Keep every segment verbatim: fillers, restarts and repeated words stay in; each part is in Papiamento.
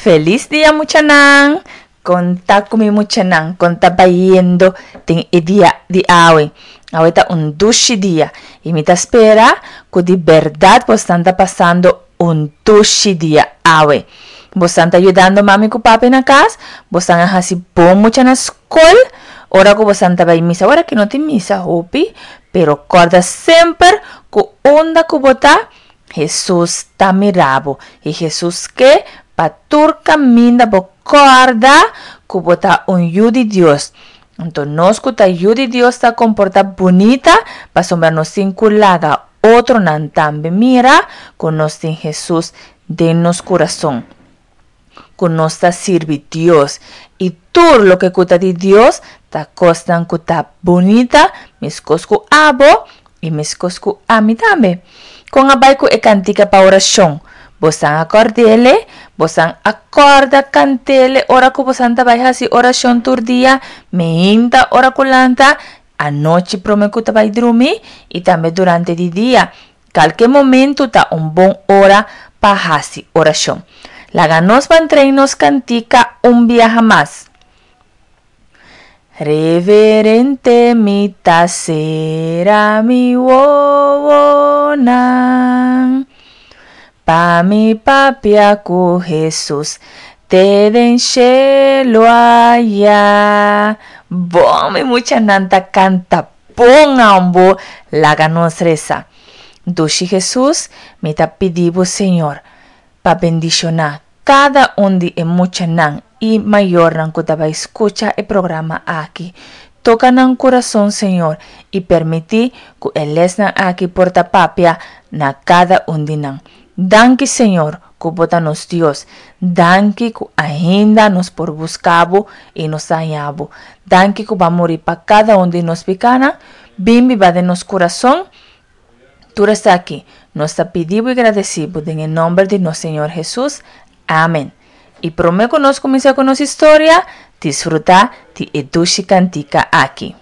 Felis dia muchanan! Kon ta ku mi muchanan, kon ta bayendo den e dia di awe? Awe ta un dushi dia i mi ta spera ku di bèrdat bosnan ta pasando un dushi dia awe. Bosnan ta yudando mami ku papi na kas? Bosnan a hasi bon mucha na skol? Ora ku bosnan ta bai misa, ora ki no tin misa hopi, pero kòrda semper ku unda ku bo ta, Hesus ta mira bo i Hesus ke pa tur kaminda bo kòrda ku bo ta un yu di Dios. Anto nos ku ta yu di Dios ta komportá bunita pasobra nos tin ku laga otronan tambe mira ku nos tin Hesus den nos kurason, ku nos ta sirbi Dios i tur loke ku ta di Dios ta kosnan ku ta bunita meskos ku abo i meskos ku ami tambe. Kon a bai ku e kantika pa orashon? Bosan a kòrd'ele? Bosan a kòrda kant'ele ora ku bosan ta bai hasi orashon tur dia, meinta ora ku lanta, anochi promé ku ta bai drumi i tambe durante di dia? Kalke momentu ta un bon ora pa hasi orashon. Laga nos ban train nos kantika un biaha mas. Reverente mi ta sera mi wowonan pa mi papia ku Hesus te den shelu aya. Bon mi muchanan ta kanta bon ambo, laga nos resa. Dushi Hesus, mi ta pidi bo Señor pa bendishoná kada un di e muchanan i mayornan ku ta bai skucha e programa aki. Toka nan kurason Señor i permití ku e lèsnan aki por ta papia na kada un di nan. Danki Señor ku bo ta nos Dios. Danki ku ainda nos por buska bo i nos ta haña bo. Danki ku bo a muri pa kada un di nos pikánan. Bin biba den nos kurason. Tur esaki nos ta pidi bo i gradesí bo den e nòmber di nos Señor Hesus. Amen. I promé ku nos kuminsá ku nos historia, disfrutá di e dushi kantika aki.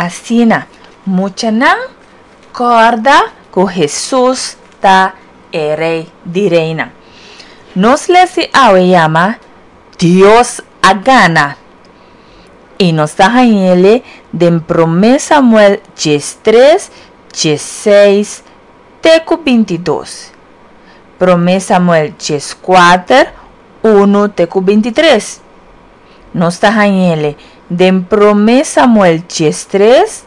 Asina, muchanan kòrda ku Hesus ta e Rei di reinan. Nos les di awe yama Dios a gana! I nos ta hañ'ele den Promé Samuel diestres, diesseis te ku bintidos. Promé Samuel dieskuater, unu te ku bintitres. Nos ta hañ'ele den Promé Samuel diestres,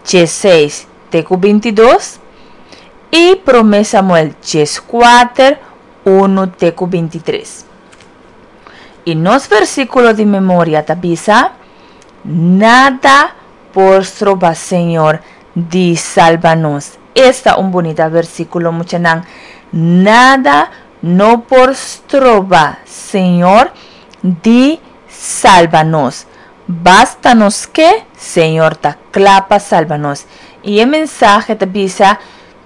diesseis te ku bintidos i Promé Samuel dieskuater, unu te ku binti tres. I nos versíkulo di memoria ta bisa, Nada por stroba Señor di salba nos. Esta un bunita versíkulo, muchanan. Nada no por stroba Señor di salba nos. Basta nos ke, Señor ta kla pa salba nos. I e mensahe ta bisa,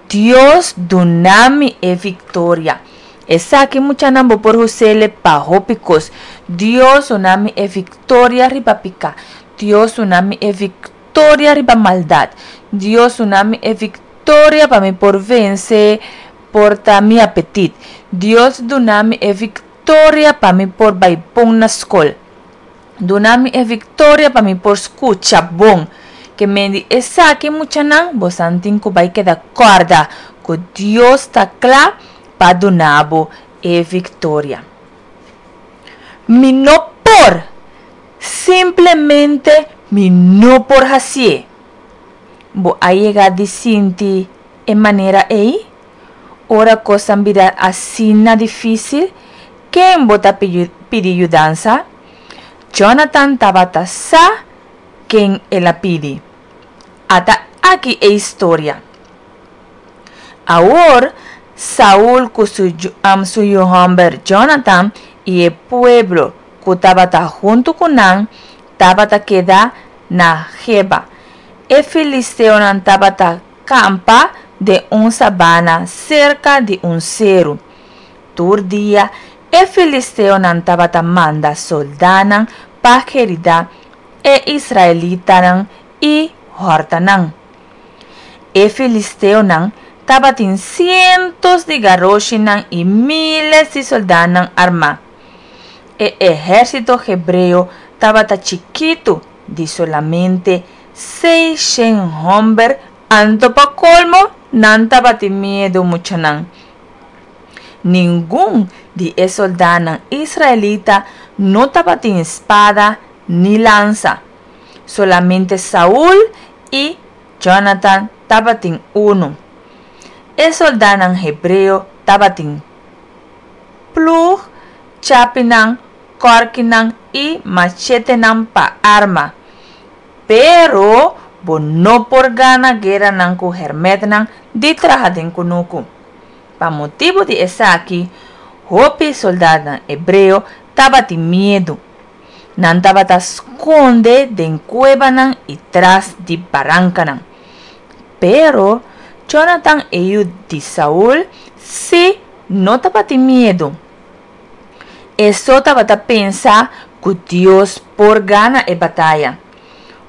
Dios duna mi e viktoria. Esaki, muchanan, bo por us'é pa hopi kos. Dios duna mi e viktoria riba piká. Dios duna mi e viktoria riba maldat. Dios duna mi e viktoria pa mi por vense por ta mi apetit. Dios duna mi e viktoria pa mi por bai bon na skol. Duna mi e viktoria pa mi por skucha bon. Ke men di esaki, muchanan, boso tin ku bai keda kòrda ku Dios ta kla pa duna bo e viktoria. Mi no por, simplemente mi no por hasié. Bo a yega di sinti e manera ei? Ora kosnan bira asina difísil, ken bo ta pidi yudansa? Jonathan tabata sa ken el a pidi. Ata aki e historia. Awor, Saul ku su, um, su yu hòmber Jonathan i e pueblo ku tabata huntu ku nan, tabata keda na Geba. E filisteonan tabata kampa den un sabana serka di un seru. Tur dia e filisteonan tabata manda sòldánan pa heridá e israelitanan i hòrta nan. E filisteonan tabatin sientos di garoshinan i míles di sòldánan armá. E ehérsito hebreo tabata chikitu, di solamente seisshen hòmber, anto pa kolmo nan tabatin miedu, muchanan. Ningun di e sòldánan israelita no tabatin spada ni lansa. Solamente Saul i Jonathan tabatin unu. E sòldánan hebreo tabatin plug, chapinan, kòrkinan i machetenan pa arma. Pero bo no por gana gueranan ku hèrmèntnan di traha den kunuku. Pa motibu di esaki, hopi sòldánan hebreo tabatin miedu. Nan tabata skonde den kuebanan i tras di barankanan. Pero Jonathan, e yu di Saul, sí no tabatin miedu. E so tabata pensa ku Dios por gana e bataya.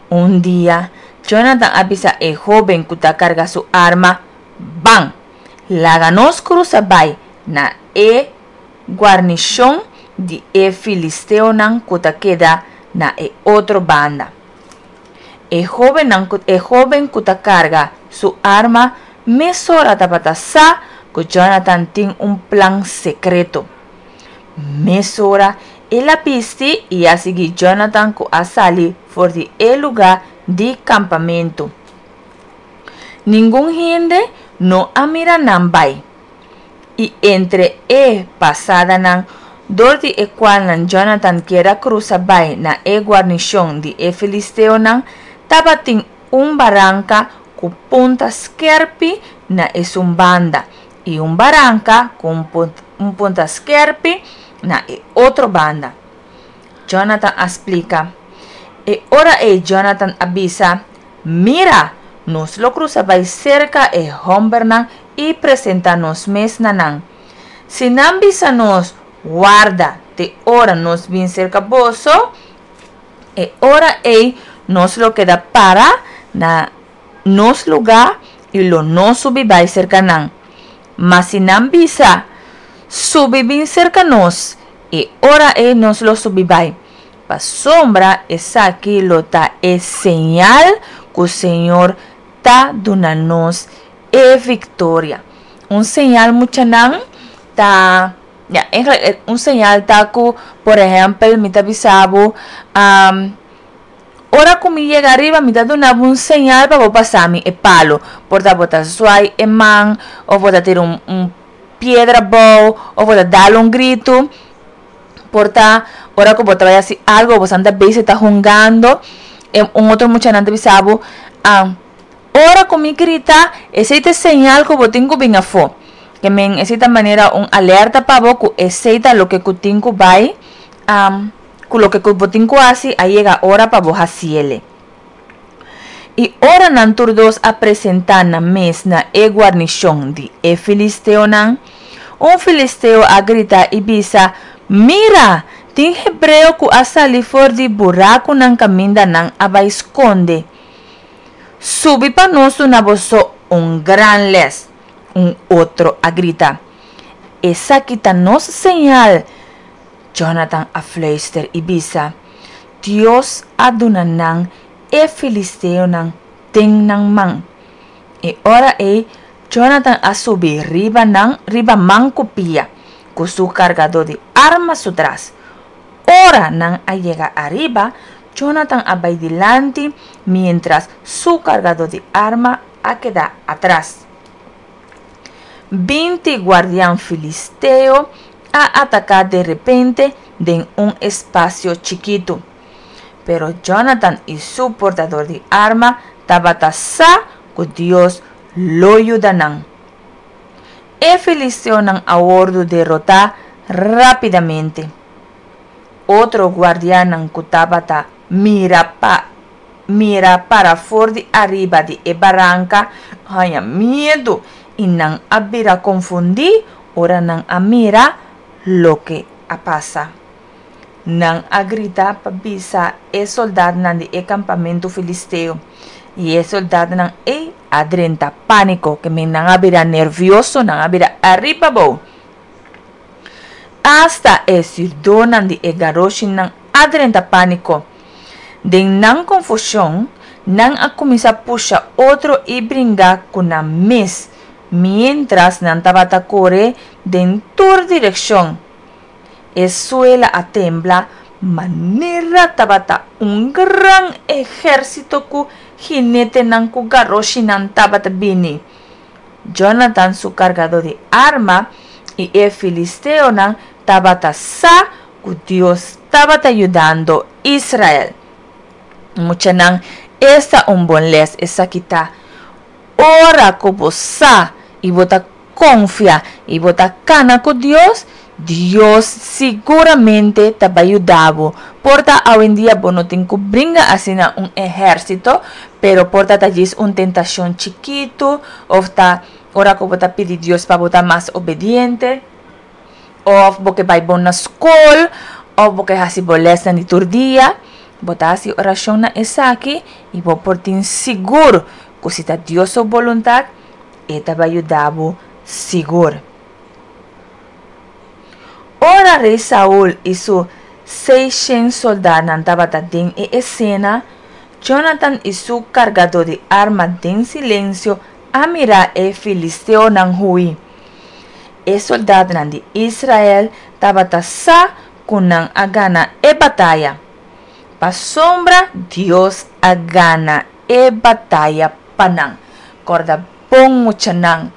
Un dia, Jonathan a bisa e hóben ku ta karga su arma, "Ban, laga nos krusa bai na e guarnishon di e filisteonan ku ta keda na e otro banda." E hóbennan ku e hóben ku ta karga su arma mesora tabata sa ku Jonathan tin un plan sekreto. Mesora el a bisti i a sigui Jonathan, ku a sali for di e lugá di kampamentu. Ningun hende no a mira nan bai. I entre e pasadanan dor di e kualnan Jonathan ker a krusa bai na e guarnishon di e filisteonan, tabatin un baranka ku punta skèrpi na esun banda i un baranka ku un punta skèrpi na e otro banda. Jonathan a splika. E ora ei Jonathan a bisa, "Mira, nos lo krusa bai serka e hòmbernan i presentá nos mes na nan. Si nan bisa nos, 'Warda te ora nos bin serka boso,' e ora ei nos lo keda para na nos lugá i lo no subi bai serka nan. Ma si nan bisa, 'Subi bin serka nos,' e ora ei nos lo subi bai. Pasobra esaki lo ta e señal ku Señor ta duna nos e viktoria." Un señal, muchanan, ta, ja, eigenlijk un señal ta ku, por ehèmpel, mi ta bisa bo, um, ora ku mi yega ariba, mi ta duna bo un señal pa bo pasa mi e palu. Por ta bo ta zwai e man òf bo ta tira un, un piedra abou òf bo ta dal un gritu. Por ta ora ku bo ta bai hasi algu, bo ta bezig ta hungando, e un otro muchanan ta bisa bo, ora ku mi grita, esei ta e señal ku bo tin ku bin afó. Ke men esei ta manera un alerta pa bo ku esei ta loke ku tin ku bai, ku loke ku bo tin ku hasi a yega ora pa bo hasiele. I ora nan tur dos a presentá nan mes na e guarnishon di e filisteonan, un filisteo a grita i bisa, Mira! Tin hebreo ku a sali for di burakunan kaminda nan a bai skonde. Subi pa nos duna boso un gran lès! Un otro a grita. Esaki ta nos señal! Jonatan a fluister i bisa, Dios a duna nan e filisteonan den nan man. E ora ei Jonatan a subi riba nan riba man ku pia, ku su kargadó di arma su tras. Ora nan a yega ariba, Jonatan a bai dilanti, miéntras su kargadó di arma a keda atras. Binti guardian filisteo a ataká derepente den un espasio chikitu. Pero Jonatan i su portador di arma tabata sa ku Dios lo yuda nan. E filisteonan a wòrdu derotá rápidamente. Otro guardianan ku tabata mira pa mira para for di ariba di e baranka haña miedu i nan a bira konfundí ora nan a mira loke a pasa. Nan a grita pa bisa e soldatnan di e kampamentu filisteo, i e soldatnan ei a drenta pániko, ke men nan a bira nervioso, nan a bira ariba abou. Asta e sirdónan di e garoshinan a drenta pániko. Den nan konfushon, nan a kuminsá pusha otro i bringa ku nan mes, miéntras nan tabata kore den tur direkshon. E suela a tembla manera tabata un gran ehérsito ku hinetenan ku garoshinan tabata bini. Jonatan su kargadó di arma i e filisteonan tabata sa ku Dios tabata yudando Israel. Muchanan, esta un bon lès esaki ta! Ora ku bo sa i bo ta konfia i bo ta kana ku Dios, Dios siguramente ta bai yuda bo. Por ta awendia bo no tin ku bringa asina un ehérsito, pero por ta ta djis un tentashon chikitu òf ta ora ku bo ta pidi Dios pa bo ta mas obediente, òf bo ke bai bon na skol, òf bo ke hasi bo lèsnan di tur dia. Bo ta hasi orashon na esaki i bo por tin sigur ku si ta Dios su boluntat, e ta bai yuda bo sigur. Ora Rei Saul i su seishen soldánan tabata den e esena, Jonatan i su kargadó di arma den silensio a mira e filisteonan hui. E soldatnan di Israel tabata sa ku nan a gana e bataya. Pasobra Dios a gana e bataya pa nan. Kòrda bon muchanan,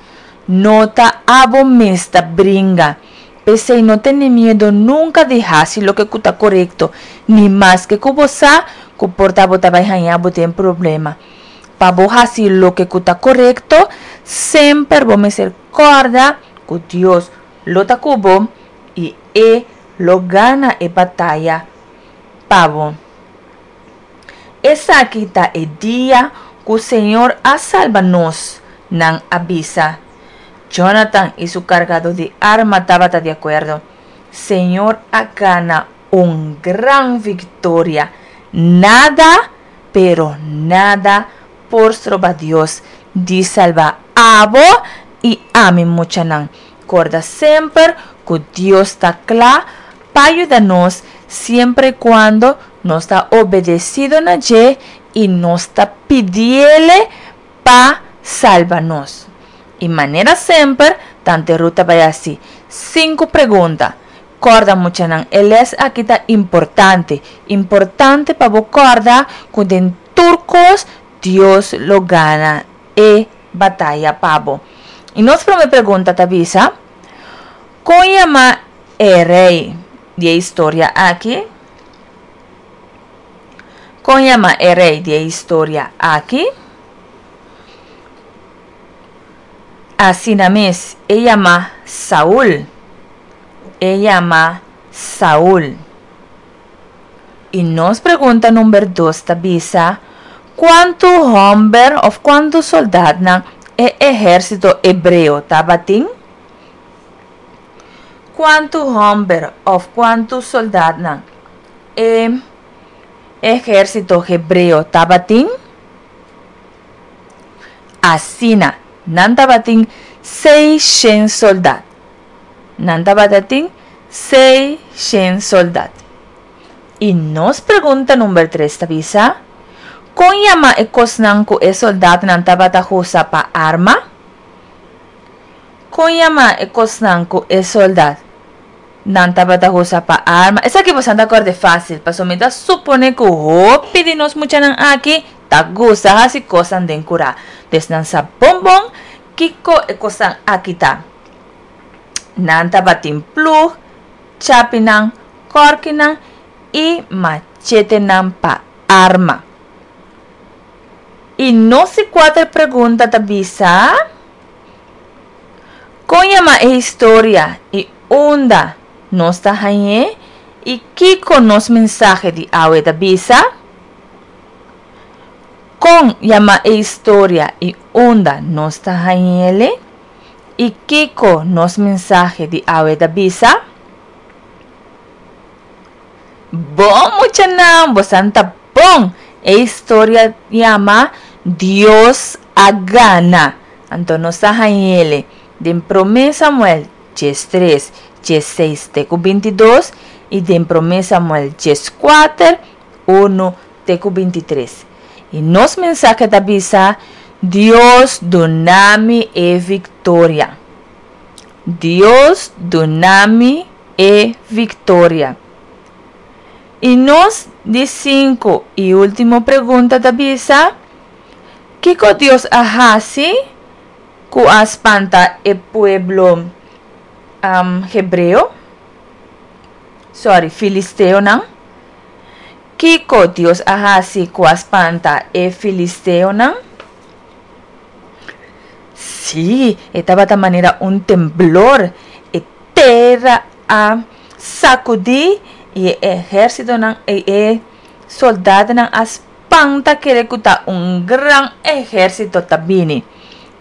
no ta abo mes ta bringa. P'esei no tene miedu nunka di hasi loke ku ta korekto, ni maske ku bo sa ku por ta bo ta bai haña bo den problema. Pa bo hasi loke ku ta korekto, semper bo mester kòrda ku Dios lo ta ku bo i e lo gana e bataya pa bo. Esaki ta e dia ku Señor a salba nos, nan a bisa. Jonatan i su kargadó di arma tabata di akuerdo. Señor a gana un gran viktoria. Nada, pero nada por stroba Dios di salba abo i ami muchanan. Korda semper ku Dios ta kla pa yuda nos siempre i kuando nos ta obedesido na dje i nos ta pidiele pa salba nos. I manera semper, Tante Ruth ta bai hasi sinku pregunta. Kòrda muchanan, e lès aki ta importante. Importante pa bo kòrda ku den tur kos Dios lo gana e bataya pa bo. I nos promé pregunta ta bisa, Kon yama e rei di e historia aki? Kon yama e rei di e historia aki? Asina mes, e yama Saul. E yama Saul. I nos pregunta number dos ta bisa, Kuantu hòmber òf kuantu sòldatnan e ehérsito hebreo tabatin? Kuantu hòmber òf kuantu sòldatnan e ehérsito hebreo tabatin? Asina, nan tabatin seishent sòldat. Nan tabatatin seishent sòldat. I nos pregunta number tres ta bisa, Kon yama e kosnan ku e sòldatnan tabata usa pa arma? Kon yama e kosnan ku e sòldatnan tabata usa pa arma? Esaki boso ta kòrda fásil, pasobra mi ta supone ku hopi di nos muchanan aki ta gusta hasi kosnan den kurá. Dus nan sa bon bon kiko e kosnan aki ta. Nan tabatin plug, chapinan, kòrkinan i machetenan pa arma. I nos di kuater pregunta ta bisa, Kon yama e historia i unda nos ta hañ'é i kiko nos mensahe di awe ta bisa? Kon yama e historia i unda nos ta hañ'ele i kiko nos mensahe di awe ta bisa? Bon muchanan, bosan ta bon! E historia yama Dios a Gana. Anto nos ta hañ'ele den Promé Samuel djes tres, djes seis te ku binti dos i den Promé Samuel djes kuater, unu te ku binti tres. I nos mensahe ta bisa, Dios duna mi e viktoria. Dios duna mi e viktoria. I nos di sinku i último pregunta ta bisa, Kiko Dios a hasi ku a spanta e pueblo hebreo? Sorry, filisteonan. Kiko Dios a hasi ku a spanta e filisteonan? Sí, e tabata manera un temblor. E tera a sakudí i e ehérsitonan i e soldadonan a spanta kere ku ta un gran ehérsito ta bini.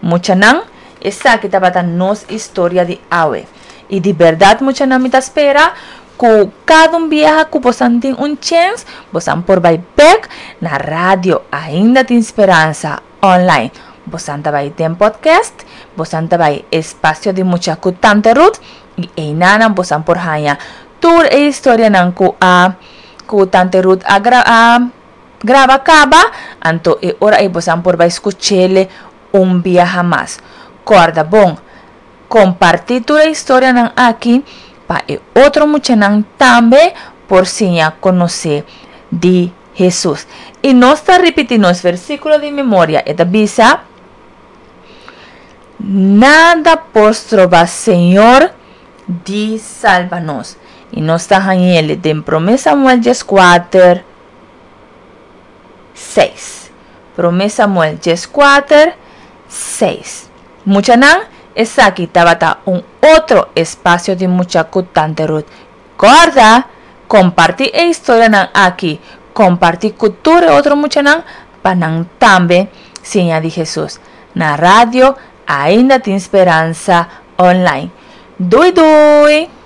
Muchanan, esaki tabata nos historia di awe. I di bèrdat muchanan mi ta spera ku kada un biaha ku bosan tin un chèns, bosan por bai bèk na Radio Ainda Tin Speransa online. Bosan ta bai den podcast, bosan ta bai Espacio di Mucha ku Tante Ruth i einanan bosan por haña tur e historianan ku a ku Tante Ruth a gra a graba kaba, anto e ora ei bosan por bai skuch'ele un biaha mas. Kòrda bon, kompartí tur e historianan aki pa e otro muchanan tambe por siña konosé di Hesus. I nos ta ripití nos versíkulo di memoria, e ta bisa, Nada por stroba Señor di salba nos. I nos ta hañ'el den Promé Samuel dieskuater, seis. Promé Samuel dieskuater, seis. Muchanan, esaki tabata un otro espasio di mucha ku Tante Ruth. Kòrda, kompartí e historianan aki, kompartí ku tur e otro muchanan pa nan tambe siña di Hesus. Na radio Ainda Tin Speransa online. Doei doei!